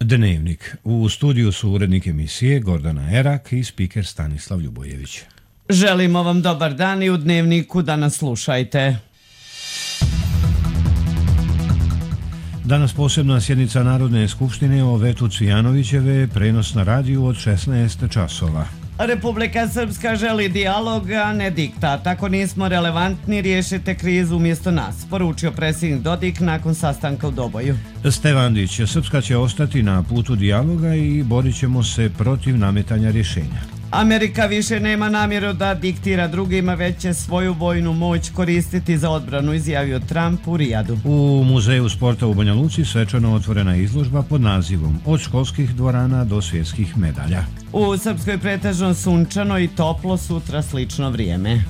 Dnevnik. U studiju su urednik emisije Gordana Erak i spiker Stanislav Ljubojević. Želimo vam dobar dan i u Dnevniku da nas slušajte. Danas posebna sjednica Narodne skupštine o vetu Cvijanovićeve, prenos na radiju od 16 časova. Republika Srpska želi dijalog, a ne diktat. Ako nismo relevantni, riješite krizu umjesto nas, poručio predsjednik Dodik nakon sastanka u Doboju. Stevandić, Srpska će ostati na putu dijaloga i borit ćemo se protiv nametanja rješenja. Amerika više nema namjeru da diktira drugima, već će svoju vojnu moć koristiti za odbranu, izjavio Trump u Rijadu. U Muzeju sporta u Banja Luci svečano otvorena izložba pod nazivom Od školskih dvorana do svjetskih medalja. U Srpskoj pretežno sunčano i toplo, sutra slično vrijeme.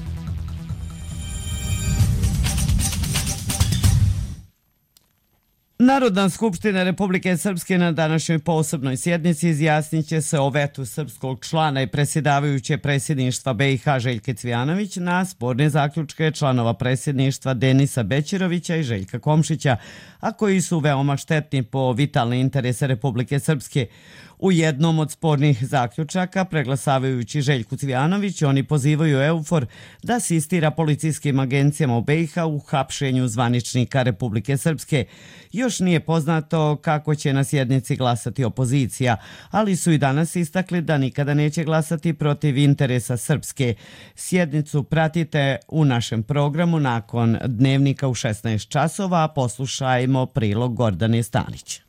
Narodna skupština Republike Srpske na današnjoj posebnoj sjednici izjasnit će se o vetu srpskog člana i predsjedavajuće predsjedništva BiH Željke Cvijanović na sporne zaključke članova predsjedništva Denisa Bećirovića i Željka Komšića, a koji su veoma štetni po vitalne interese Republike Srpske. U jednom od spornih zaključaka, preglasavajući Željku Cvijanović, oni pozivaju EUFOR da asistira policijskim agencijama u BiH u hapšenju zvaničnika Republike Srpske. Još nije poznato kako će na sjednici glasati opozicija, ali su i danas istakli da nikada neće glasati protiv interesa Srpske. Sjednicu pratite u našem programu nakon Dnevnika u 16 časova, poslušajmo prilog Gordane Stanić.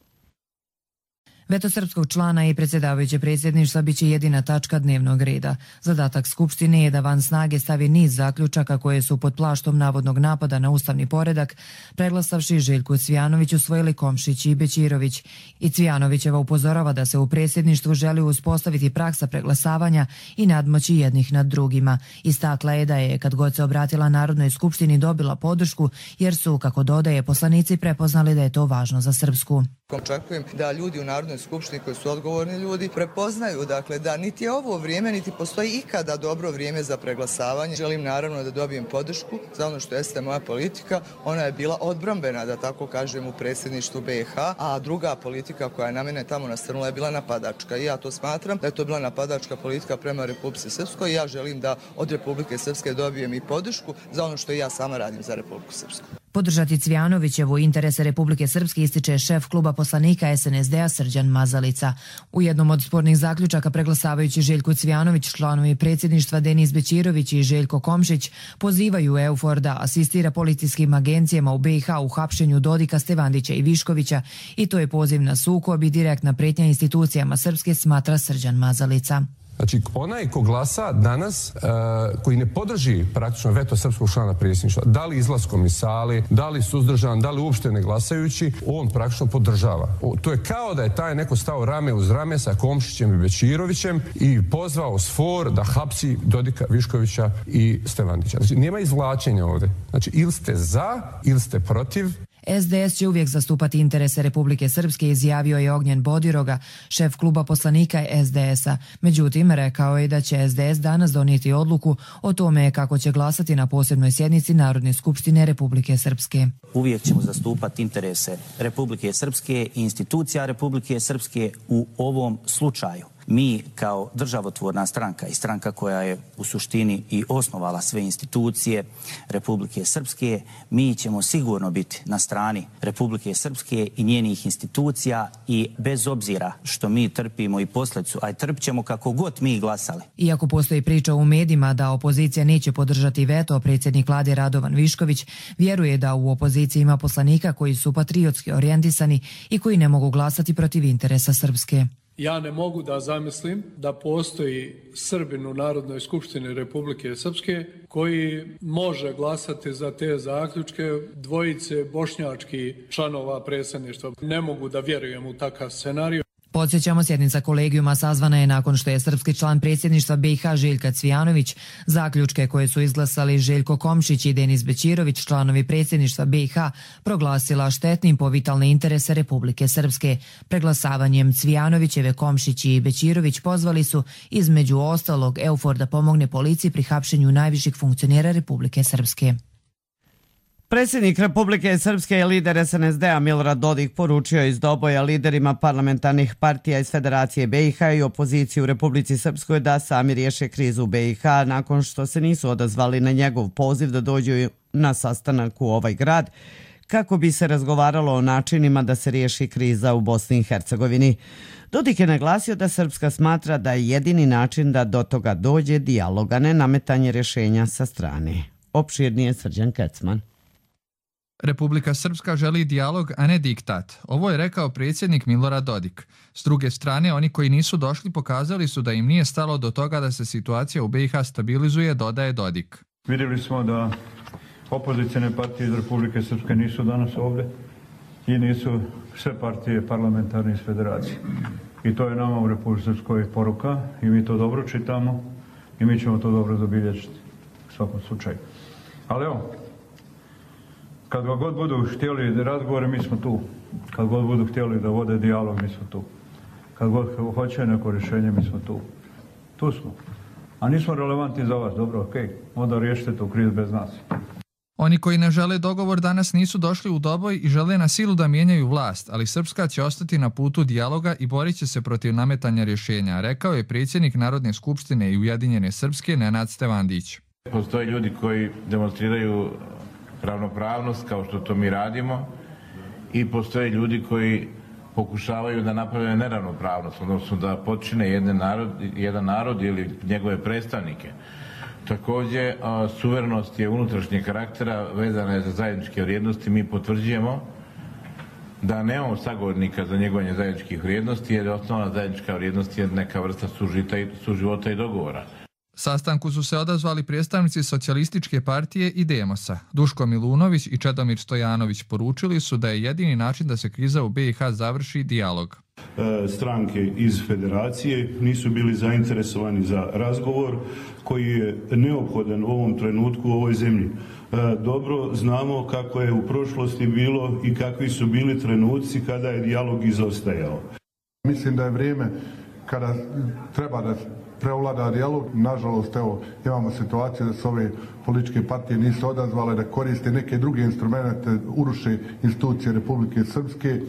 Veto srpskog člana i predsjedavajuće predsjedništva biće jedina tačka dnevnog reda. Zadatak Skupštine je da van snage stavi niz zaključaka koje su pod plaštom navodnog napada na ustavni poredak, preglasavši Željku Cvijanović usvojili Komšić i Bećirović. I Cvijanovićeva upozorava da se u predsjedništvu želi uspostaviti praksa preglasavanja i nadmoći jednih nad drugima. Istakla je da je, kad god se obratila Narodnoj skupštini, dobila podršku jer su, kako dodaje, poslanici prepoznali da je to važno za Srpsku. Očekujem da ljudi u Narodnoj skupštini koji su odgovorni ljudi prepoznaju da niti je ovo vrijeme, niti postoji ikada dobro vrijeme za preglasavanje. Želim naravno da dobijem podršku za ono što jeste moja politika. Ona je bila odbrambena, da tako kažem, u predsjedništvu BiH, a druga politika koja je na mene tamo nastrnula je bila napadačka. I ja to smatram da je to bila napadačka politika prema Republici Srpskoj i ja želim da od Republike Srpske dobijem i podršku za ono što ja sama radim za Republiku Srpsku. Podržati Cvijanovićevu interese Republike Srpske ističe šef kluba poslanika SNSD-a Srđan Mazalica. U jednom od spornih zaključaka preglasavajući Željku Cvijanović, članovi predsjedništva Denis Bećirović i Željko Komšić pozivaju EUFOR da asistira policijskim agencijama u BiH u hapšenju Dodika, Stevandića i Viškovića i to je poziv na sukob i direktna pretnja institucijama Srpske, smatra Srđan Mazalica. Znači, onaj ko glasa danas, koji ne podrži praktično veto srpskog člana predsjedništva, da li izlaskom iz sale, da li suzdržan, da li uopšte ne glasajući, on praktično podržava. To je kao da je taj neko stao rame uz rame sa Komšićem i Bećirovićem i pozvao SFOR da hapsi Dodika, Viškovića i Stevandića. Znači, nema izvlačenja ovdje. Znači, ili ste za, ili ste protiv. SDS će uvijek zastupati interese Republike Srpske, izjavio je Ognjen Bodiroga, šef kluba poslanika SDS-a. Međutim, rekao je da će SDS danas donijeti odluku o tome kako će glasati na posebnoj sjednici Narodne skupštine Republike Srpske. Uvijek ćemo zastupati interese Republike Srpske i institucija Republike Srpske u ovom slučaju. Mi kao državotvorna stranka i stranka koja je u suštini i osnovala sve institucije Republike Srpske, mi ćemo sigurno biti na strani Republike Srpske i njenih institucija i bez obzira što mi trpimo i posljedicu, a trpit ćemo kako god mi glasali. Iako postoji priča u medijima da opozicija neće podržati veto, predsjednik vlade Radovan Višković vjeruje da u opoziciji ima poslanika koji su patriotski orijentisani i koji ne mogu glasati protiv interesa Srpske. Ja ne mogu da zamislim da postoji Srbin u Narodnoj skupštini Republike Srpske koji može glasati za te zaključke dvojice bošnjačkih članova predsjedništva. Ne mogu da vjerujem u takav scenarij. Podsjećamo, sjednica kolegijuma sazvana je nakon što je srpski član predsjedništva BiH Željka Cvijanović zaključke koje su izglasali Željko Komšić i Denis Bećirović, članovi predsjedništva BiH, proglasila štetnim po vitalne interese Republike Srpske. Preglasavanjem Cvijanovićeve, Komšić i Bećirović pozvali su između ostalog EUFOR da pomogne policiji pri hapšenju najviših funkcionera Republike Srpske. Predsjednik Republike Srpske i lider SNSD-a Milorad Dodik poručio iz Doboja liderima parlamentarnih partija iz Federacije BiH i opozicije u Republici Srpskoj da sami riješe krizu u BiH nakon što se nisu odazvali na njegov poziv da dođu na sastanak u ovaj grad kako bi se razgovaralo o načinima da se riješi kriza u Bosni i Hercegovini. Dodik je naglasio da Srpska smatra da je jedini način da do toga dođe dijalog, a ne nametanje rješenja sa strane. Opširnije Srđan Kecman. Republika Srpska želi dijalog, a ne diktat. Ovo je rekao predsjednik Milorad Dodik. S druge strane, oni koji nisu došli pokazali su da im nije stalo do toga da se situacija u BiH stabilizuje, dodaje Dodik. Vidjeli smo da opozicijne partije iz Republike Srpske nisu danas ovdje i nisu sve partije parlamentarne iz Federacije. I to je nama u Republike Srpskoj poruka i mi to dobro čitamo i mi ćemo to dobro zabilježiti u svakom slučaju. Ali evo, kad god budu htjeli razgovore, mi smo tu. Kad god budu htjeli da vode dijalog, mi smo tu. Kad god hoće neko rješenje, mi smo tu. Tu smo. A nismo relevantni za vas, dobro, okej. Onda riješite tu krizu bez nas. Oni koji ne žele dogovor danas nisu došli u Doboj i žele na silu da mijenjaju vlast, ali Srpska će ostati na putu dijaloga i borit će se protiv nametanja rješenja, rekao je predsjednik Narodne skupštine i Ujedinjene Srpske Nenad Stevandić. Postoje ljudi koji demonstriraju ravnopravnost kao što to mi radimo i postoje ljudi koji pokušavaju da naprave neravnopravnost, odnosno da počine jedan narod ili njegove predstavnike. Također, suverenost je unutrašnjeg karaktera, vezana je za zajedničke vrijednosti. Mi potvrđujemo da nemamo sagovornika za njegovanje zajedničkih vrijednosti, jer osnovna zajednička vrijednost je neka vrsta suživota i dogovora. Sastanku su se odazvali predstavnici Socijalističke partije i Demosa. Duško Milunović i Čedomir Stojanović poručili su da je jedini način da se kriza u BiH završi dijalog. Stranke iz Federacije nisu bili zainteresovani za razgovor koji je neophodan u ovom trenutku u ovoj zemlji. Dobro znamo kako je u prošlosti bilo i kakvi su bili trenuci kada je dijalog izostajao. Mislim da je vrijeme kada treba da prevlada dijalog. Nažalost, evo, imamo situaciju da se ove političke partije nisu odazvale, da koriste neke druge instrumente, uruše institucije Republike Srpske.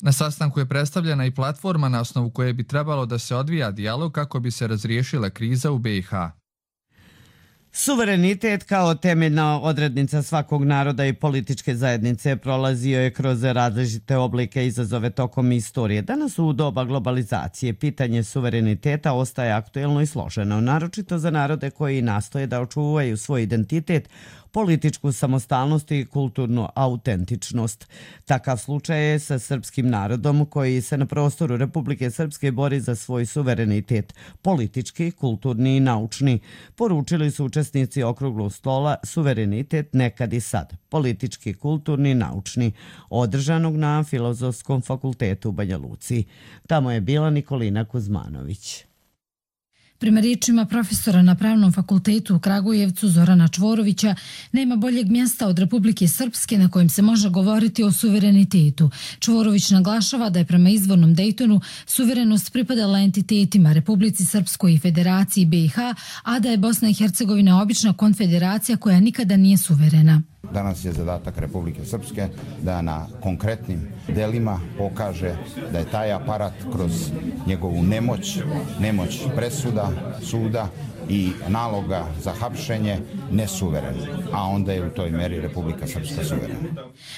Na sastanku je predstavljena i platforma na osnovu koje bi trebalo da se odvija dijalog kako bi se razriješila kriza u BiH. Suverenitet kao temeljna odrednica svakog naroda i političke zajednice prolazio je kroz različite oblike i izazove tokom istorije. Danas u doba globalizacije pitanje suvereniteta ostaje aktuelno i složeno, naročito za narode koji nastoje da očuvaju svoj identitet, političku samostalnost i kulturnu autentičnost. Takav slučaj je sa srpskim narodom koji se na prostoru Republike Srpske bori za svoj suverenitet, politički, kulturni i naučni. Poručili su učesnici okruglog stola Suverenitet nekad i sad, politički, kulturni i naučni, održanog na Filozofskom fakultetu u Banja Luci. Tamo je bila Nikolina Kuzmanović. Prema riječima profesora na Pravnom fakultetu u Kragujevcu Zorana Čvorovića, nema boljeg mjesta od Republike Srpske na kojem se može govoriti o suverenitetu. Čvorović naglašava da je prema izvornom Dejtonu suverenost pripadala entitetima Republici Srpskoj i Federaciji BiH, a da je Bosna i Hercegovina obična konfederacija koja nikada nije suverena. Danas je zadatak Republike Srpske da na konkretnim delima pokaže da je taj aparat kroz njegovu nemoć presuda, suda i naloga za hapšenje nesuveren, a onda je u toj meri Republika Srpska suverena.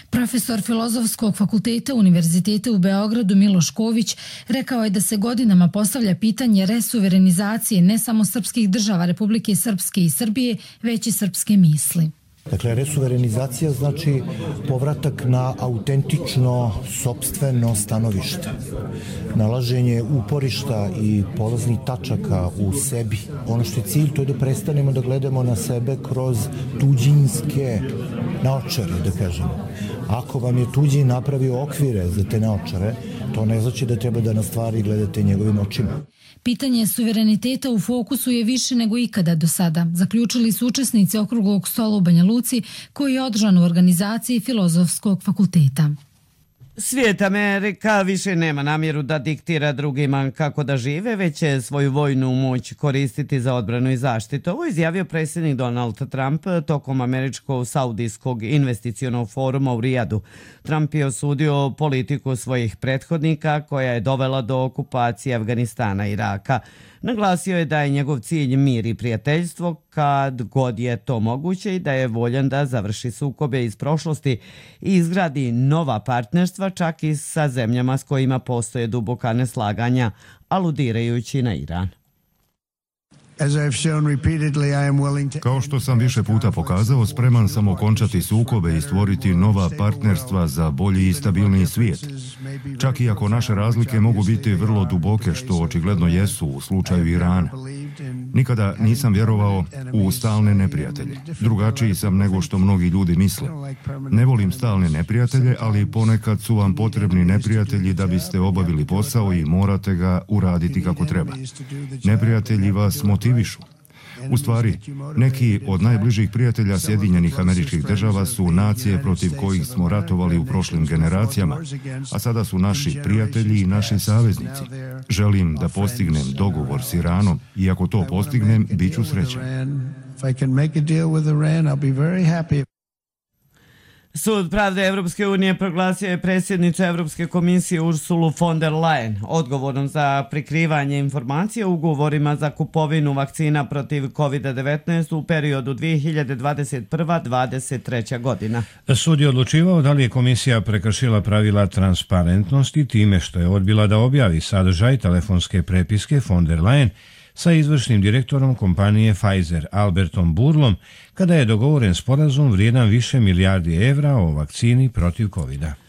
Profesor Filozofskog fakulteta Univerziteta u Beogradu Miloš Ković rekao je da se godinama postavlja pitanje resuverenizacije ne samo srpskih država Republike Srpske i Srbije, već i srpske misli. Dakle, resuverenizacija znači povratak na autentično, sopstveno stanovište. Nalaženje uporišta i polaznih tačaka u sebi. Ono što je cilj, to je da prestanemo da gledamo na sebe kroz tuđinske naočare, da kažemo. Ako vam je tuđi napravio okvire za te naočare, to ne znači da treba da na stvari gledate njegovim očima. Pitanje suvereniteta u fokusu je više nego ikada do sada, zaključili su učesnici okruglog stola u Banja Luci koji je održan u organizaciji Filozofskog fakulteta. Svijet Amerika više nema namjeru da diktira drugima kako da žive, već će svoju vojnu moć koristiti za odbranu i zaštitu. Ovo izjavio predsjednik Donald Trump tokom američkog saudijskog investicionog foruma u Rijadu. Trump je osudio politiku svojih prethodnika koja je dovela do okupacije Afganistana i Iraka. Naglasio je da je njegov cilj mir i prijateljstvo kad god je to moguće i da je voljan da završi sukobe iz prošlosti i izgradi nova partnerstva čak i sa zemljama s kojima postoje duboka neslaganja, aludirajući na Iran. Kao što sam više puta pokazao, spreman sam okončati sukobe i stvoriti nova partnerstva za bolji i stabilniji svijet. Čak i ako naše razlike mogu biti vrlo duboke, što očigledno jesu u slučaju Irana. Nikada nisam vjerovao u stalne neprijatelje. Drugačiji sam nego što mnogi ljudi misle. Ne volim stalne neprijatelje, ali ponekad su vam potrebni neprijatelji da biste obavili posao i morate ga uraditi kako treba. Neprijatelji vas motivišu. U stvari, neki od najbližih prijatelja Sjedinjenih Američkih Država su nacije protiv kojih smo ratovali u prošlim generacijama, a sada su naši prijatelji i naši saveznici. Želim da postignem dogovor s Iranom i ako to postignem, bit ću srećan. Sud pravde Evropske unije proglasio je predsjednicu Evropske komisije Ursulu von der Leyen odgovornom za prikrivanje informacija o ugovorima za kupovinu vakcina protiv COVID-19 u periodu 2021-2023. godina. Sud je odlučivao da li je komisija prekršila pravila transparentnosti time što je odbila da objavi sadržaj telefonske prepiske von der Leyen sa izvršnim direktorom kompanije Pfizer Albertom Burlom kada je dogovoren sporazum vrijedan više milijardi evra o vakcini protiv COVID-a.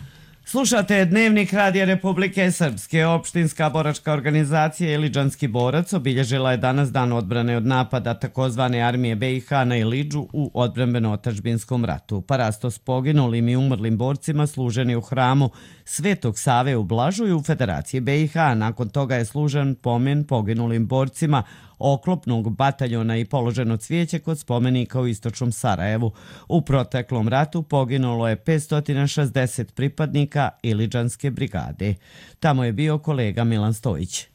Slušate Dnevnik Radija Republike Srpske. Opštinska boračka organizacija Iliđanski borac obilježila je danas dan odbrane od napada takozvane armije BiH na Ilidžu u odbrambeno-otadžbinskom ratu. Parastos poginulim i umrlim borcima služen je u hramu Svetog Save u Blažuju u Federaciji BiH. Nakon toga je služen pomen poginulim borcima oklopnog bataljona i položeno cvijeće kod spomenika u istočnom Sarajevu. U proteklom ratu poginulo je 560 pripadnika Iliđanske brigade. Tamo je bio kolega Milan Stojić.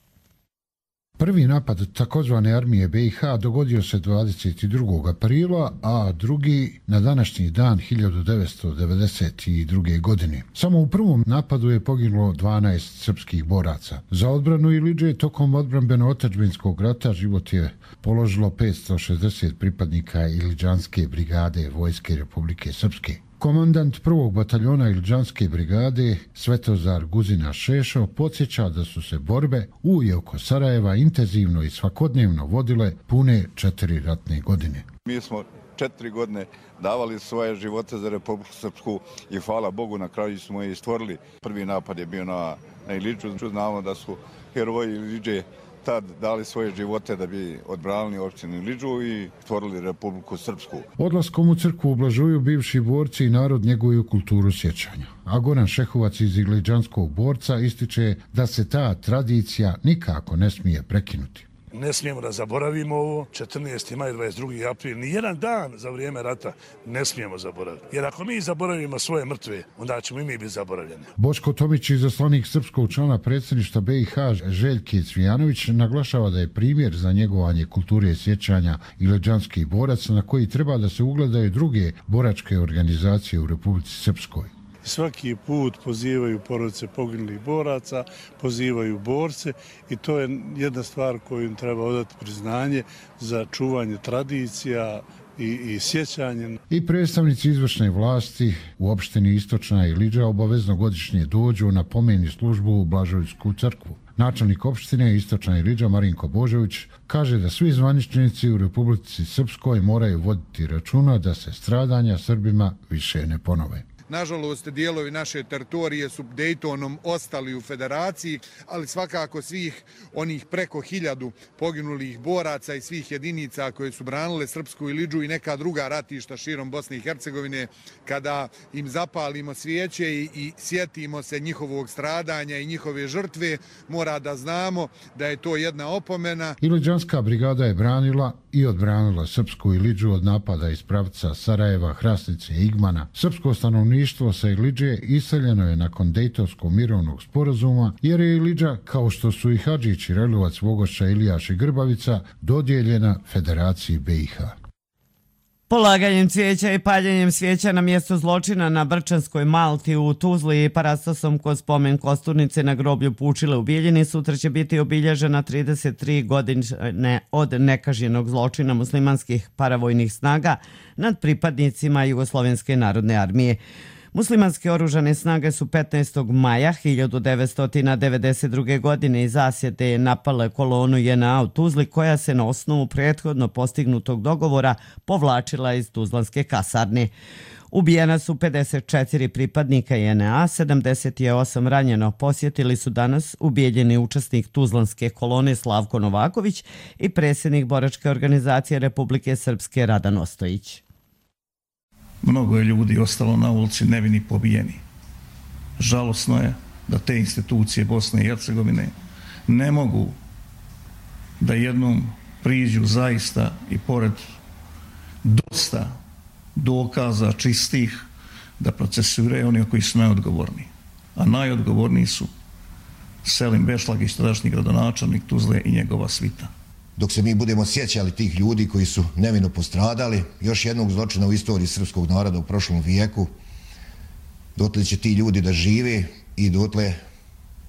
Prvi napad takozvane armije BiH dogodio se 22. aprila, a drugi na današnji dan 1992. godine. Samo u prvom napadu je poginulo 12 srpskih boraca. Za odbranu Ilidže tokom odbrambeno-otadžbinskog rata život je položilo 560 pripadnika Iliđanske brigade Vojske Republike Srpske. Komandant prvog bataljona Iliđanske brigade Svetozar Guzina Šešo podsjeća da su se borbe u i oko Sarajeva intenzivno i svakodnevno vodile pune 4 ratne godine. Mi smo 4 godine davali svoje živote za Republiku Srpsku i hvala Bogu na kraju smo i stvorili. Prvi napad je bio na Ilidžu. Znamo da su heroji Ilidže tad dali svoje živote da bi odbranili opštinu Ilidžu i stvorili Republiku Srpsku. Odlaskom u crkvu u Blažuju bivši borci i narod njeguju kulturu sjećanja. A Goran Šehovac iz Iliđanskog borca ističe da se ta tradicija nikako ne smije prekinuti. Ne smijemo da zaboravimo ovo. 14. maj, 22. april, ni jedan dan za vrijeme rata ne smijemo zaboraviti. Jer ako mi zaboravimo svoje mrtve, onda ćemo i mi biti zaboravljeni. Boško Tomić, izaslanik srpskog člana predsjedništva BiH Željke Cvijanović, naglašava da je primjer za njegovanje kulture sjećanja iliđanskih boraca na koji treba da se ugledaju druge boračke organizacije u Republici Srpskoj. Svaki put pozivaju porodice poginulih boraca, pozivaju borce i to je jedna stvar koju im treba odati priznanje za čuvanje tradicija i sjećanje. I predstavnici izvršne vlasti u opštini Istočna Ilidža obavezno godišnje dođu na pomeni službu u Blažujsku crkvu. Načelnik opštine Istočna Ilidža Marinko Božović kaže da svi zvaničnici u Republici Srpskoj moraju voditi računa da se stradanja Srbima više ne ponove. Nažalost, dijelovi naše teritorije su Dejtonom ostali u federaciji, ali svakako svih onih preko 1000 poginulih boraca i svih jedinica koje su branile Srpsku Ilidžu i neka druga ratišta širom Bosne i Hercegovine, kada im zapalimo svijeće i sjetimo se njihovog stradanja i njihove žrtve, mora da znamo da je to jedna opomena. Iliđanska brigada je branila i odbranila Srpsku Ilidžu od napada iz pravca Sarajeva, Hrasnice i Igmana. Srpsko stanovništvo stanovništvo sa Ilidže iseljeno je nakon Dejtonskog mirovnog sporazuma, jer je Ilidža, kao što su i Hadžić, Relovac, Vogošća, Ilijaš i Grbavica, dodijeljena Federaciji BiH. Polaganjem cvijeća i paljenjem svijeća na mjestu zločina na Brčanskoj Malti u Tuzli i parastosom kod spomen kosturnice na groblju Pučile u Bijeljini sutra će biti obilježena 33 godine od nekažnjenog zločina muslimanskih paravojnih snaga nad pripadnicima Jugoslovenske narodne armije. Muslimanske oružane snage su 15. maja 1992. godine iz zasjete napale kolonu JNA u Tuzli, koja se na osnovu prethodno postignutog dogovora povlačila iz tuzlanske kasarne. Ubijena su 54 pripadnika JNA, 78 ranjeno. Posjetili su danas ubijeljeni učesnik tuzlanske kolone Slavko Novaković i predsjednik boračke organizacije Republike Srpske Radan Ostojić. Mnogo je ljudi ostalo na ulici nevini pobijeni. Žalosno je da te institucije Bosne i Hercegovine ne mogu da jednom priđu zaista i pored dosta dokaza čistih da procesuiraju oni koji su najodgovorniji. A najodgovorniji su Selim Bešlagić, tadašnji gradonačelnik Tuzle i njegova svita. Dok se mi budemo sjećali tih ljudi koji su nevino postradali, još jednog zločina u istoriji srpskog naroda u prošlom vijeku, dotle će ti ljudi da žive i dotle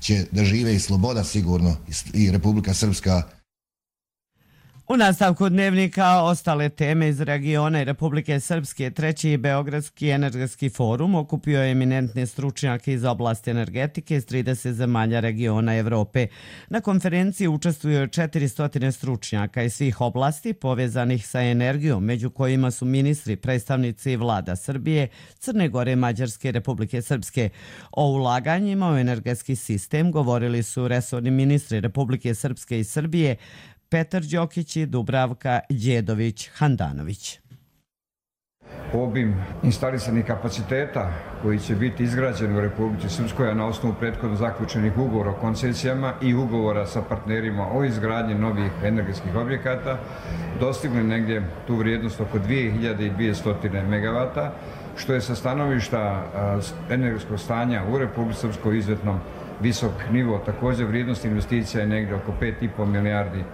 će da žive i sloboda sigurno i Republika Srpska. U nastavku dnevnika ostale teme iz regiona i Republike Srpske, treći Beogradski energetski forum okupio je eminentne stručnjake iz oblasti energetike iz 30 zemalja regiona Evrope. Na konferenciji učestvuju 400 stručnjaka iz svih oblasti povezanih sa energijom, među kojima su ministri, predstavnici vlada Srbije, Crne Gore, Mađarske i Republike Srpske. O ulaganjima u energetski sistem govorili su resorni ministri Republike Srpske i Srbije, Petar Đokić i Dubravka Đedović-Handanović. Obim instalisanih kapaciteta koji će biti izgrađeni u Republici Srpskoj, a na osnovu prethodno zaključenih ugovora o koncesijama i ugovora sa partnerima o izgradnji novih energetskih objekata, dostigli negdje tu vrijednost oko 2200 MW, što je sa stanovišta energetskog stanja u Republici Srpskoj izuzetno visok nivo. Također vrijednost investicija je negdje oko 5,5 milijardi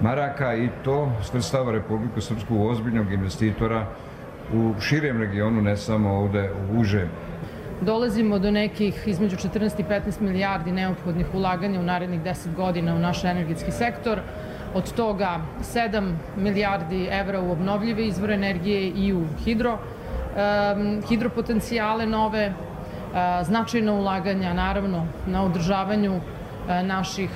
maraka i to svrstava Republiku Srpsku u ozbiljnog investitora u širem regionu, ne samo ovdje u užem. Dolazimo do nekih između 14 i 15 milijardi neophodnih ulaganja u narednih 10 godina u naš energetski sektor. Od toga 7 milijardi evra u obnovljive izvore energije i u hidropotencijale nove, značajna ulaganja naravno na održavanju naših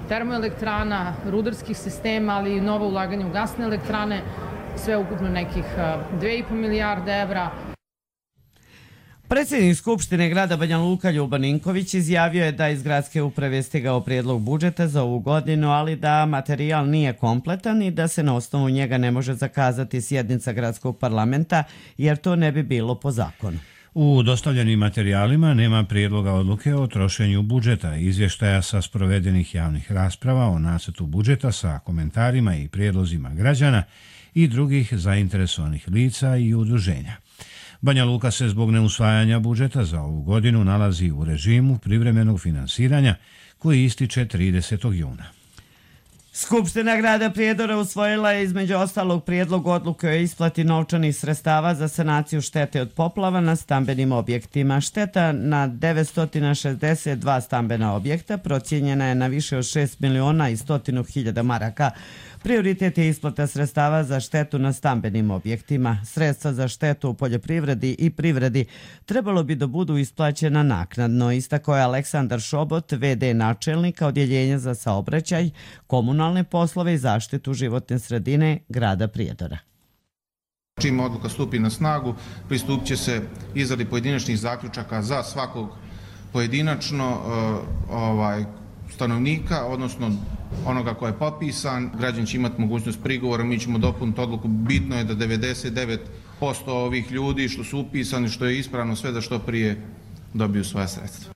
termoelektrana, rudarskih sistema, ali i nova ulaganja u gasne elektrane, sve ukupno nekih 2,5 milijarde evra. Predsjednik Skupštine grada Banja Luka Ljubo Ninković izjavio je da iz gradske uprave stigao prijedlog budžeta za ovu godinu, ali da materijal nije kompletan i da se na osnovu njega ne može zakazati sjednica gradskog parlamenta, jer to ne bi bilo po zakonu. U dostavljenim materijalima nema prijedloga odluke o trošenju budžeta, izvještaja sa sprovedenih javnih rasprava o nacrtu budžeta sa komentarima i prijedlozima građana i drugih zainteresovanih lica i udruženja. Banja Luka se zbog neusvajanja budžeta za ovu godinu nalazi u režimu privremenog finansiranja koji ističe 30. juna. Skupština grada Prijedora usvojila je između ostalog prijedlog odluke o isplati novčanih sredstava za sanaciju štete od poplava na stambenim objektima. Šteta na 962 stambena objekta procijenjena je na više od 6 miliona i 100.000 maraka. Prioritet je isplata sredstava za štetu na stambenim objektima. Sredstva za štetu u poljoprivredi i privredi trebalo bi da budu isplaćena naknadno, istakao je Aleksandar Šobot, VD načelnika Odjeljenja za saobraćaj, komunalne poslove i zaštitu životne sredine grada Prijedora. Čim odluka stupi na snagu, pristupit će se izradi pojedinačnih zaključaka za svakog pojedinačno stanovnika, odnosno onoga ko je popisan. Građani će imati mogućnost prigovora, mi ćemo dopuniti odluku. Bitno je da 99% ovih ljudi što su upisani, što je ispravno, sve da što prije dobiju svoja sredstva.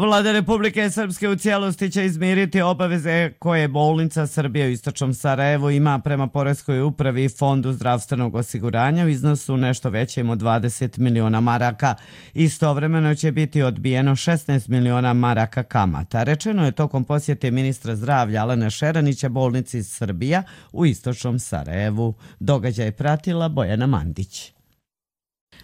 Vlada Republike Srpske u cijelosti će izmiriti obaveze koje bolnica Srbije u istočnom Sarajevu ima prema Poreskoj upravi i Fondu zdravstvenog osiguranja u iznosu nešto većem od 20 miliona maraka. Istovremeno će biti odbijeno 16 miliona maraka kamata. Rečeno je tokom posjete ministra zdravlja Alena Šeranića bolnici Srbija u istočnom Sarajevu. Događaj pratila Bojana Mandić.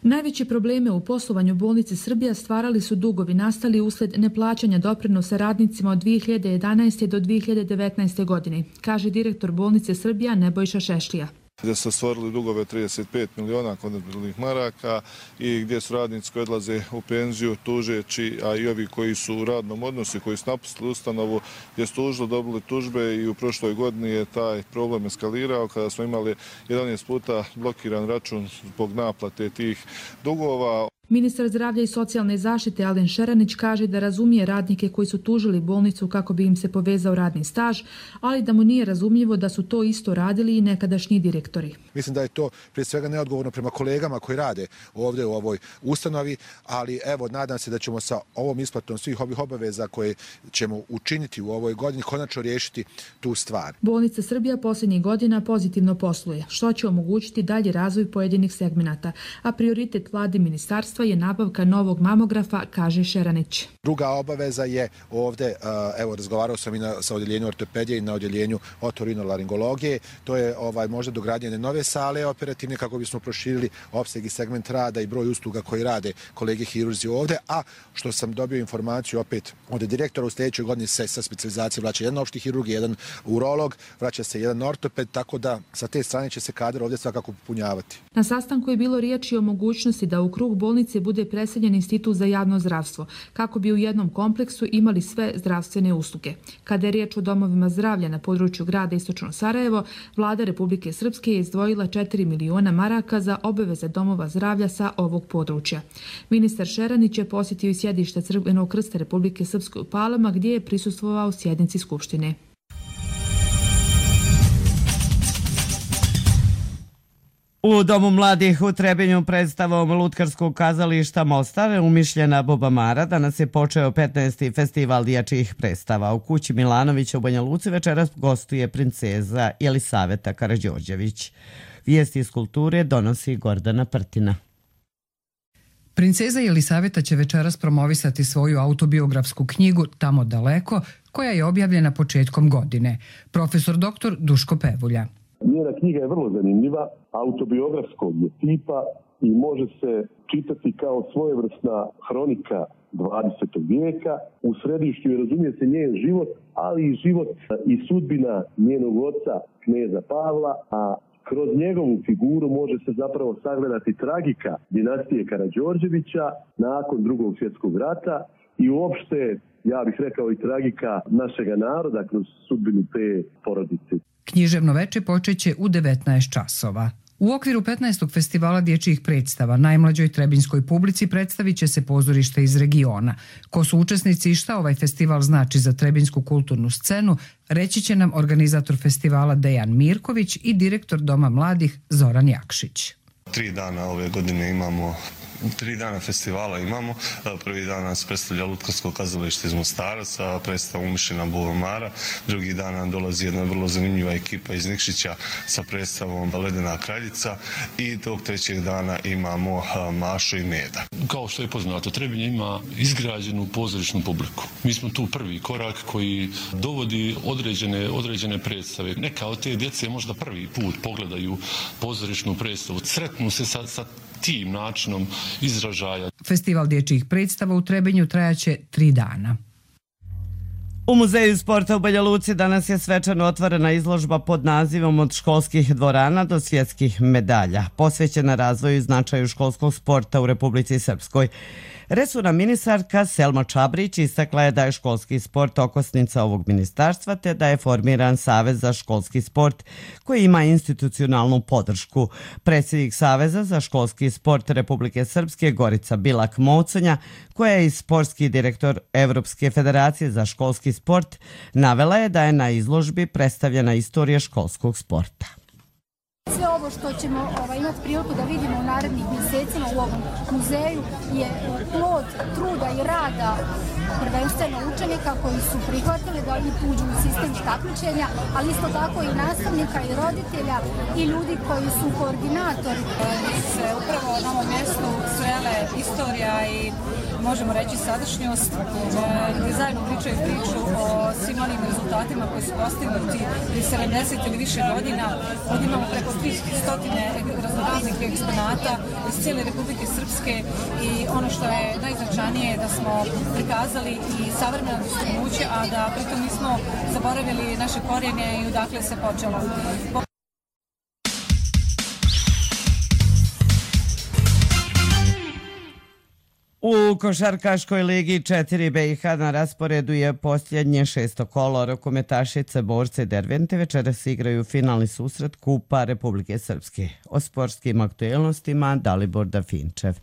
Najveće probleme u poslovanju bolnice Srbija stvarali su dugovi nastali usled neplaćanja doprinosa radnicima od 2011. do 2019. godine, kaže direktor bolnice Srbija Nebojša Šešlija. Gdje su stvorili dugove 35 miliona konvertibilnih maraka i gdje su radnici koji odlaze u penziju tužeći, a i ovi koji su u radnom odnosu, koji su napustili ustanovu, gdje su tužili, dobili tužbe i u prošloj godini je taj problem eskalirao kada smo imali 11 puta blokiran račun zbog naplate tih dugova. Ministar zdravlja i socijalne zaštite Alen Šeranić kaže da razumije radnike koji su tužili bolnicu kako bi im se povezao radni staž, ali da mu nije razumljivo da su to isto radili i nekadašnji direktori. Mislim da je to prije svega neodgovorno prema kolegama koji rade ovdje u ovoj ustanovi, ali evo nadam se da ćemo sa ovom isplatom svih ovih obaveza koje ćemo učiniti u ovoj godini konačno riješiti tu stvar. Bolnica Srbija posljednjih godina pozitivno posluje, što će omogućiti dalji razvoj pojedinih segmenata, a prioritet vlade ministarstva je nabavka novog mamografa, kaže Šeranić. Druga obaveza je ovdje, evo razgovarao sam i sa odjeljenju ortopedije i na odjeljenju otorinolaringologije, to je možda dogradnje nove sale operativne kako bismo proširili opseg i segment rada i broj usluga koji rade kolege hirurzi ovdje, a što sam dobio informaciju opet od direktora, u sljedećoj godini se sa specijalizacije vraća jedan opšti hirurg, jedan urolog, vraća se jedan ortoped, tako da sa te strane će se kadar ovdje svakako popunjavati. Na sastanku je bilo riječi o mogućnosti da u krug bolnice bude preseljen Institut za javno zdravstvo, kako bi u jednom kompleksu imali sve zdravstvene usluge. Kada je riječ o domovima zdravlja na području grada Istočno Sarajevo, vlada Republike Srpske je izdvojila 4 miliona maraka za obaveze domova zdravlja sa ovog područja. Ministar Šeranić je posjetio i sjedište Crvenog krsta Republike Srpske u Palama, gdje je prisustvovao sjednici Skupštine. U Domu mladih u Trebinju predstavom Lutkarskog kazališta Mostar umišljena Boba Mara danas je počeo 15. festival dječjih predstava. U kući Milanovića u Banja Luci večeras gostuje princeza Jelisaveta Karađorđević. Vijesti iz kulture donosi Gordana Prtina. Princeza Jelisaveta će večeras promovisati svoju autobiografsku knjigu Tamo daleko, koja je objavljena početkom godine. Profesor dr. Duško Pevulja. Njena knjiga je vrlo zanimljiva, autobiografskog je tipa i može se čitati kao svojevrsna hronika 20. vijeka. U središtu je, razumije se, njen život, ali i život i sudbina njenog oca, kneza Pavla, a kroz njegovu figuru može se zapravo sagledati tragika dinastije Karađorđevića nakon Drugog svjetskog rata i uopšte, ja bih rekao, i tragika našega naroda kroz sudbinu te porodice. Književno veče počeće u 19 časova. U okviru 15. festivala dječjih predstava najmlađoj trebinjskoj publici predstavit će se pozorište iz regiona. Ko su učesnici i šta ovaj festival znači za trebinjsku kulturnu scenu, reći će nam organizator festivala Dejan Mirković i direktor Doma mladih Zoran Jakšić. 3 dana ove godine imamo, 3 dana festivala imamo. Prvi dan nas predstavlja Lutkarsko kazalište iz Mostara sa predstavom umišljena Boba Mara. Drugi dan nam dolazi jedna vrlo zanimljiva ekipa iz Nikšića sa predstavom Ledena kraljica i tog trećeg dana imamo Mašo i Meda. Kao što je poznato, Trebinje ima izgrađenu pozorišnu publiku. Mi smo tu prvi korak koji dovodi određene predstave. Neka od te djece možda prvi put pogledaju pozorišnu predstavu. Sretnu se sa tim načinom izražaja. Festival dječjih predstava u Trebinju trajaće 3 dana. U Muzeju sporta u Banja Luci danas je svečano otvorena izložba pod nazivom Od školskih dvorana do svjetskih medalja, posvećena razvoju i značaju školskog sporta u Republici Srpskoj. Resorna ministarka Selma Čabrić istakla je da je školski sport okosnica ovog ministarstva te da je formiran Savez za školski sport koji ima institucionalnu podršku. Predsjednik Saveza za školski sport Republike Srpske Gorica Bilak-Moconja, koja je i sportski direktor Evropske federacije za školski sport, navela je da je na izložbi predstavljena istorija školskog sporta. Sve ovo ovo što ćemo imati priliku da vidimo u narednih mjesecima u ovom muzeju je plod truda i rada prvenstveno učenika koji su prihvatili da oni uđu u sistem takmičenja, ali isto tako i nastavnika i roditelja i ljudi koji su koordinatori. Se upravo na ovom mjestu srele istorija i možemo reći sadašnjost, gdje zajedno pričaju priču o svim onim rezultatima koji su postignuti i 70 ili više godina. Ovdje imamo preko 300 raznoraznih eksponata iz cijele Republike Srpske i ono što je najznačajnije je da smo prikazali i savremeno dostignuće, a da pritom nismo zaboravili naše korijene i odakle se počelo. U košarkaškoj ligi 4 BiH na rasporedu je posljednje 6. kolo. Rukometašice Borce Dervente večeras igraju finalni susret Kupa Republike Srpske. O sportskim aktuelnostima Dalibor Dafinčev.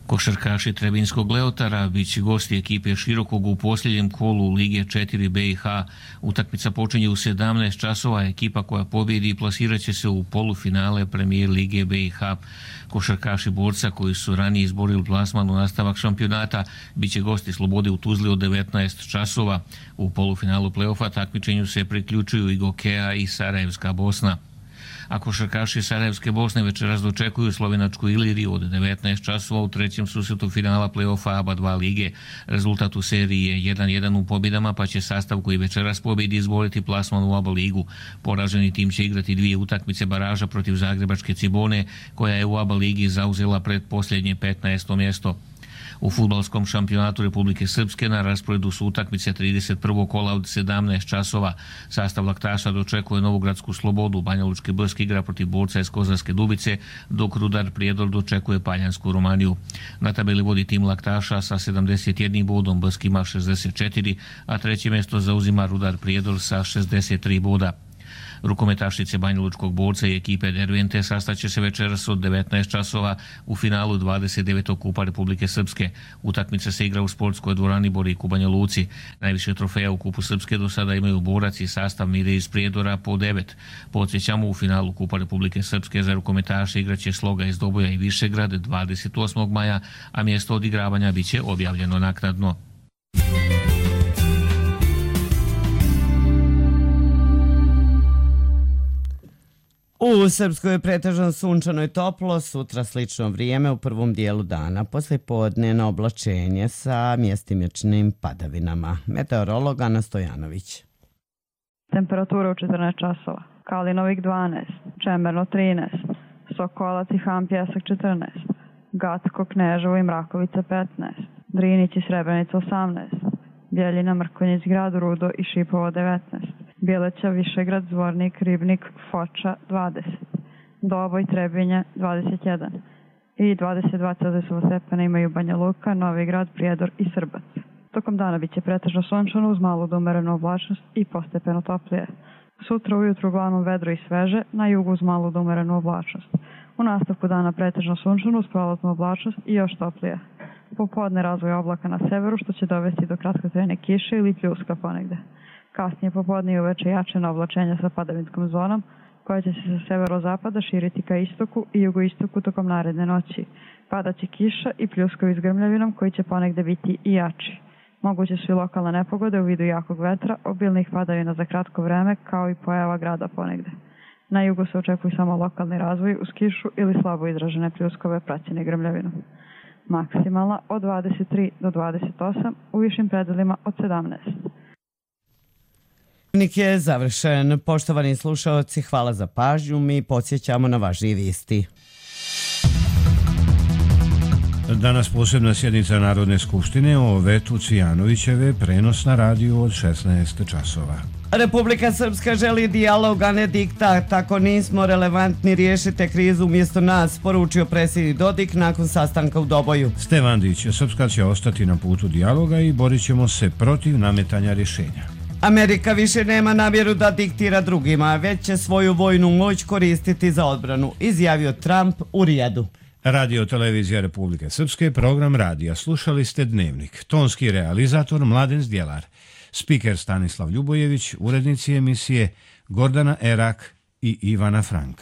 Košarkaši Trebinskog Leotara biće gosti ekipe Širokog u posljednjem kolu Lige 4 BiH. Utakmica počinje u 17 časova. Ekipa koja pobjedi plasirat će se u polufinale Premijer Lige BiH. Košarkaši Borca koji su ranije izborili plasman u nastavak šampionata biće gosti Slobode u Tuzli od 19 časova. U polufinalu play-offa takmičenju se priključuju i Gokeja i Sarajevska Bosna. A košarkaši Sarajevske Bosne večeras dočekuju slovenačku Iliriju od 19 časova u trećem susretu finala play-offa ABA 2 lige. Rezultat u seriji je 1-1 u pobjedama, pa će sastav koji večeras pobjedi izboriti plasman u ABA ligu. Poraženi tim će igrati 2 utakmice baraža protiv Zagrebačke Cibone, koja je u ABA ligi zauzela predposljednje 15. mjesto. U fudbalskom šampionatu Republike Srpske na rasporedu su utakmice 31. kola od 17 časova. Sastav Laktaša dočekuje Novogradsku Slobodu, Banja Lučki Brsk igra protiv Borca iz Kozarske Dubice, dok Rudar Prijedor dočekuje Paljansku Romaniju. Na tabeli vodi tim Laktaša sa 71 bodom, Brsk ima 64, a treće mjesto zauzima Rudar Prijedor sa 63 boda. Rukometašice Banja Lučkog Borca i ekipe Dervente sastaće se večeras od 19 časova u finalu 29. Kupa Republike Srpske. Utakmica se igra u sportskoj dvorani Borik u Banja Luci. Najviše trofeja u Kupu Srpske do sada imaju Borac i sastav Mire iz Prijedora po 9. Podsjećamo, u finalu Kupa Republike Srpske za rukometaše igraće Sloga iz Doboja i Višegrad 28. maja, a mjesto odigravanja biće objavljeno naknadno. U Srpskoj je pretežno sunčano i toplo, sutra slično vrijeme u prvom dijelu dana, poslijepodne oblačenje sa mjestimičnim padavinama. Meteorolog Ana Stojanović. Temperatura u 14 časova. Kalinovik 12, Čemerno 13, Sokolac i Han Pjesak 14, Gacko, Kneževo i Mrakovica 15, Drinić i Srebrenica 18, Bjeljina, Mrkonjić, Grad Rudo i Šipovo 19, Bjeleća, Višegrad, Zvornik, Ribnik, Foča 20, Doboj, Trebinje 21 i 22 Celzijusova stepena imaju Banja Luka, Novi Grad, Prijedor i Srbac. Tokom dana biće pretežno sunčano uz malu do umerenu oblačnost i postepeno toplije. Sutra ujutru uglavnom vedro i sveže, na jugu uz malu do umerenu oblačnost. U nastavku dana pretežno sunčano uz prolaznu oblačnost i još toplije. Popodne razvoj oblaka na severu što će dovesti do kratkotrajne kiše ili pljuska ponegde. Kasnije popodne i uveče jačena oblačenja sa padavinskom zonom, koja će se sa severozapada širiti ka istoku i jugoistoku tokom naredne noći. Padaće kiša i pljuskovi s grmljavinom koji će ponegde biti i jači. Moguće su i lokalne nepogode u vidu jakog vetra, obilnih padavina za kratko vreme, kao i pojava grada ponegde. Na jugu se očekuju samo lokalni razvoj uz kišu ili slabo izražene pljuskove praćene grmljavinom. Maksimalna od 23 do 28, u višim predelima od 17. Dnevnik je završen. Poštovani slušaoci, hvala za pažnju. Mi podsjećamo na važnije vijesti. Danas posebna sjednica Narodne skupštine o vetu Cvijanovićeve, prenos na radiju od 16 časova. Republika Srpska želi dijalog, a ne diktat. Ako nismo relevantni, riješite krizu umjesto nas, poručio predsjednik Dodik nakon sastanka u Doboju. Stevandić, Srpska će ostati na putu dijaloga i borit ćemo se protiv nametanja rješenja. Amerika više nema namjeru da diktira drugima, već će svoju vojnu moć koristiti za odbranu, izjavio Trump u Rijadu. Radio Televizija Republike Srpske, program radija. Slušali ste Dnevnik. Tonski realizator Mladen Zdjelar. Spiker Stanislav Ljubojević, urednici emisije Gordana Erak i Ivana Frank.